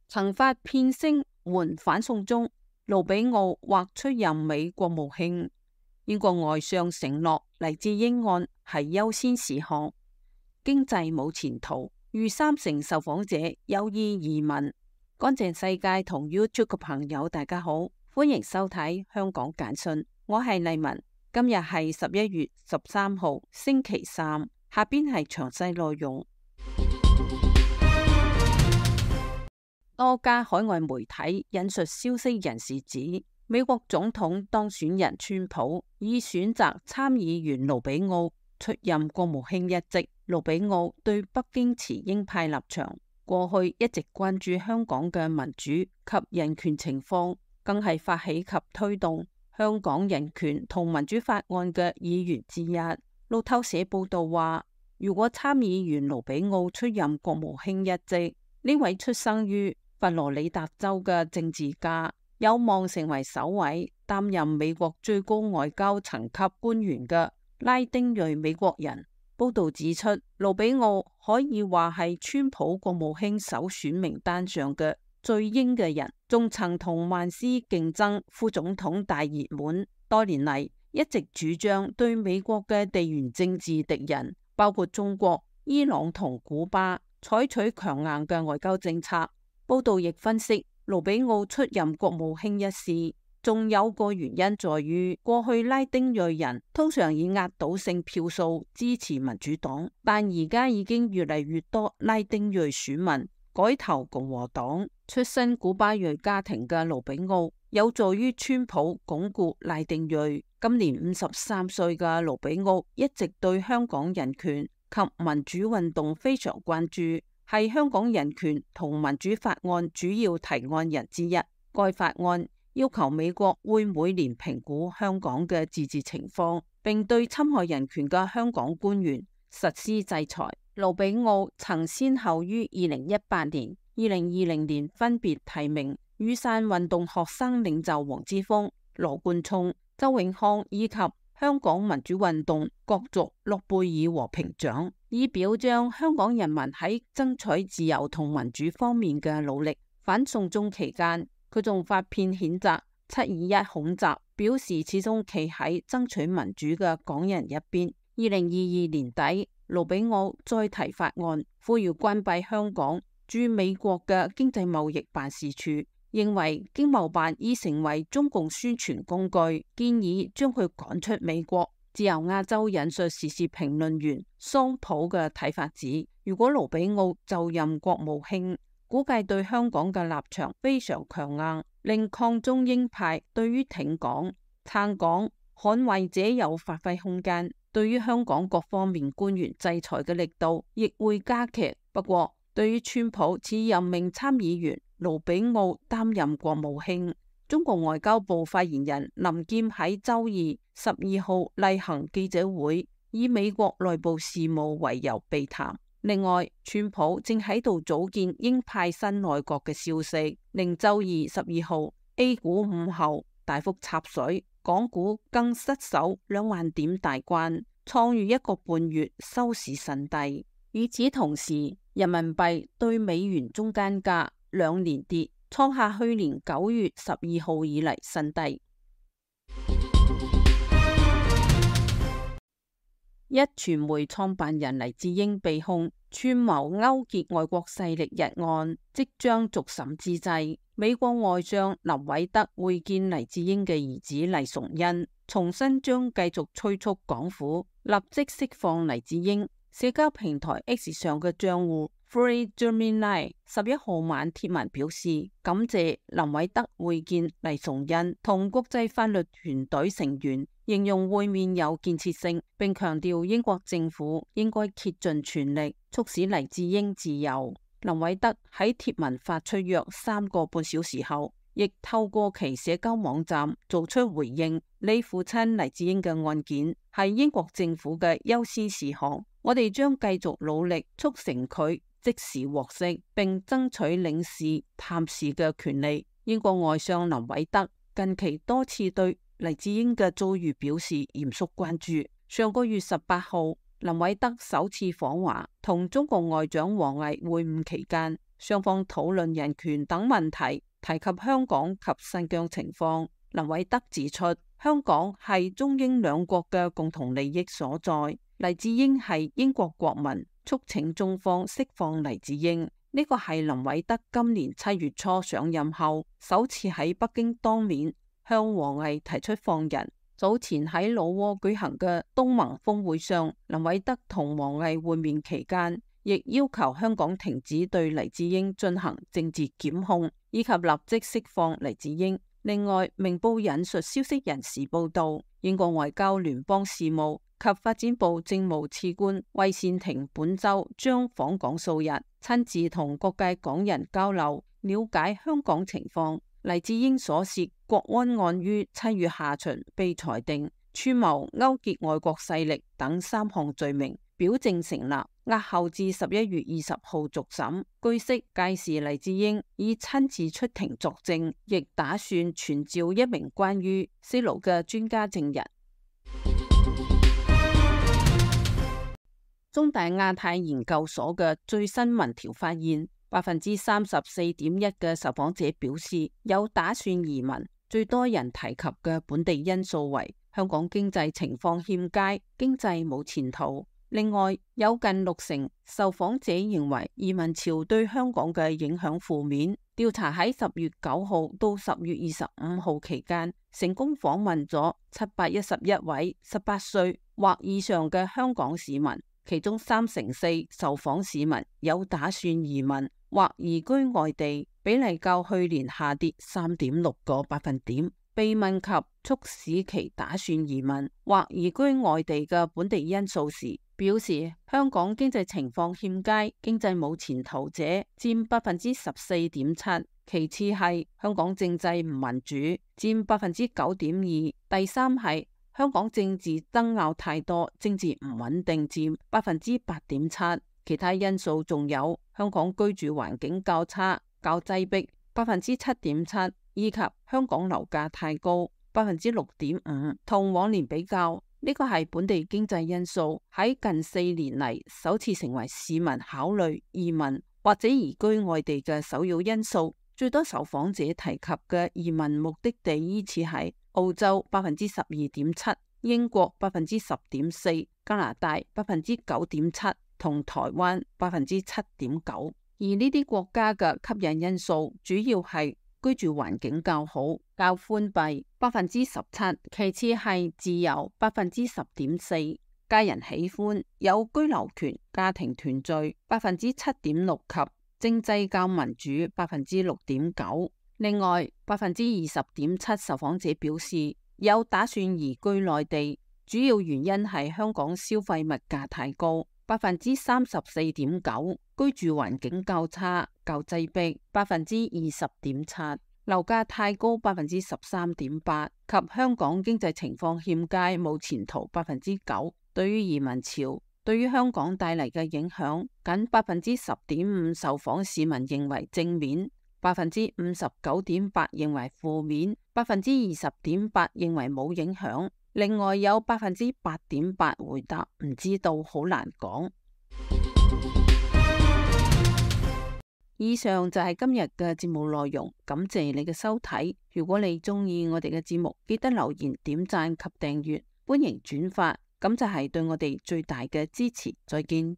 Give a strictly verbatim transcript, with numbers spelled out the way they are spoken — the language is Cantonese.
曾發騙聲援反送中，盧比奧或出任美國務卿。英國外相承諾黎智英案係優先事項。經濟冇前途，逾三成受訪者有意移民。乾淨世界同 YouTube 嘅朋友大家好，歡迎收睇香港簡訊，我係麗文。今日係十一月十三號星期三，下邊係詳細內容。多家海外媒體引述消息人士指，美國總統當選人川普已選擇參議員盧比奧出任國務卿一職。盧比奧對北京持鷹派立場，過去一直關注香港嘅民主及人權情況，更係發起及推動香港人權同民主法案嘅議員之一。路透社報道話，如果參議員盧比奧出任國務卿一職，呢位出生於佛羅里達州嘅政治家有望成為首位擔任美國最高外交層級官員嘅拉丁裔美國人。報道指出，盧比奧可以話係川普國務卿首選名單上嘅最鷹嘅人，仲曾同萬斯競爭副總統大熱門。多年嚟一直主張對美國嘅地緣政治敵人，包括中國、伊朗同古巴，採取強硬嘅外交政策。報道亦分析，盧比奧出任國務卿一事，仲有個原因在於，過去拉丁裔人通常以壓倒性票數支持民主黨，但而家已經越嚟越多拉丁裔選民改投共和黨。出身古巴裔家庭嘅盧比奧有助於川普鞏固拉丁裔。今年五十三歲嘅盧比奧一直對香港人權及民主運動非常關注，係香港人權同民主法案主要提案人之一。該法案要求美國會每年評估香港嘅自治情況，並對侵害人權嘅香港官員實施制裁。盧比奧曾先後於二零一八年、二零二零年分別提名雨傘運動學生領袖黃之鋒、羅冠聰、周永康以及香港民主運動角逐諾貝爾和平獎，以表彰香港人民喺爭取自由同民主方面嘅努力。反送中期間，佢仲發片譴責七二一恐襲，表示始終企喺爭取民主嘅港人一邊。二零二二年底，盧比奧再提法案，呼籲關閉香港駐美國嘅經濟貿易辦事處，認為經貿辦已成為中共宣傳工具，建議將佢趕出美國。自由亞洲引述時事評論員桑普嘅睇法指，如果盧比奧就任國務卿，估計對香港嘅立場非常強硬，令抗中鷹派對於挺港、撐港、捍衛者有發揮空間。對於香港各方面官員制裁嘅力度亦會加劇。不過，對於川普此任命參議員盧比奧擔任國務卿，中國外交部發言人林劍喺周二十二號例行記者會，以美國內部事務為由避談。另外，川普正喺度組建鷹派新內閣嘅消息，令周二十二號 A 股午後大幅插水，港股更失守兩萬點大關，創逾一個半月收市新低。與此同時，人民幣對美元中間價兩連跌，創下去年九月十二號以嚟新低。一傳媒創辦人黎智英被控串謀勾結外國勢力一案即將續審之際，美國外相林偉德會見黎智英嘅兒子黎崇恩，重申將繼續催促港府立即釋放黎智英。社交平台 X 上嘅賬戶 Free Gemini 十一號晚貼文表示，感謝林偉德會見黎崇恩同國際法律團隊成員，形容會面有建設性，並強調英國政府應該竭盡全力促使黎智英自由。林偉德喺貼文發出約三個半小時後，亦透過其社交網站做出回應，你父親黎智英嘅案件係英國政府嘅優先事項，我哋將繼續努力促成佢即時獲釋，並爭取領事探視嘅權利。英國外相林偉德近期多次對黎智英嘅遭遇表示嚴肅關注。上個月十八號，林偉德首次訪華，同中國外長王毅會晤期間，雙方討論人權等問題，提及香港及新疆情況。林偉德指出，香港係中英兩國嘅共同利益所在。黎智英係英國國民，促請中方釋放黎智英。呢個係林偉德今年七月初上任後首次喺北京當面向王毅提出放人。早前喺老撾舉行嘅東盟峰會上，林偉德同王毅會面期間，亦要求香港停止對黎智英進行政治檢控，以及立即釋放黎智英。另外，明報引述消息人士報道，英國外交聯邦事務及發展部政務次官韋善廷本周將訪港數日，親自同各界港人交流，了解香港情況。黎智英所涉國安案於七月下旬被裁定串謀勾結外國勢力等三項罪名，表證成立，押後至十一月二十號續審。據悉，屆時黎智英已親自出庭作證，亦打算傳召一名關於西盧嘅專家證人。中大亞太研究所嘅最新民調發現，百分之三十四點一嘅受訪者表示有打算移民，最多人提及嘅本地因素為香港經濟情況欠佳，經濟冇前途。另外，有近六成受訪者認為移民潮對香港嘅影響負面。調查喺十月九號到十月二十五號期間，成功訪問咗七百一十一位十八歲或以上嘅香港市民，其中三成四受訪市民有打算移民或移居外地，比例較去年下跌三點六個百分點。被問及促使其打算移民或移居外地嘅本地因素時，表示香港經濟情況欠佳，經濟冇前途者佔百分之十四點七，其次係香港政制唔民主，佔百分之九點二，第三係香港政治爭拗太多，政治唔穩定，佔百分之八點七。其他因素仲有香港居住環境較差、較擠迫，百分之七點七，以及香港樓價太高，百分之六點五。同往年比較，呢個係本地經濟因素喺近四年嚟首次成為市民考慮移民或者移居外地嘅首要因素。最多受訪者提及嘅移民目的地依次係澳洲百分之十二點七，英國百分之十點四，加拿大百分之九點七，同台灣百分之七點九。而呢啲國家嘅吸引因素主要係居住環境較好、較寬閉百分之十七，其次係自由百分之十點四，家人喜歡有居留權、家庭團聚百分之七點六及政制較民主百分之六點九。另外，百分之二十點七受訪者表示有打算移居內地，主要原因係香港消費物價太高，百分之三十四點九，居住環境較差、較擠迫百分之二十點七，樓價太高百分之十三點八，及香港經濟情況欠佳冇前途百分之九。對於移民潮對於香港帶嚟嘅影響，僅百分之十點五受訪市民認為正面，百分之五十九點八認為負面，百分之二十點八認為冇影響。另外有百分之八點八回答唔知道，好難講。以上就係今日嘅節目內容，感謝你嘅收睇。如果你中意我哋嘅節目，記得留言、點讚及訂閱，歡迎轉發，咁就係對我哋最大嘅支持。再見。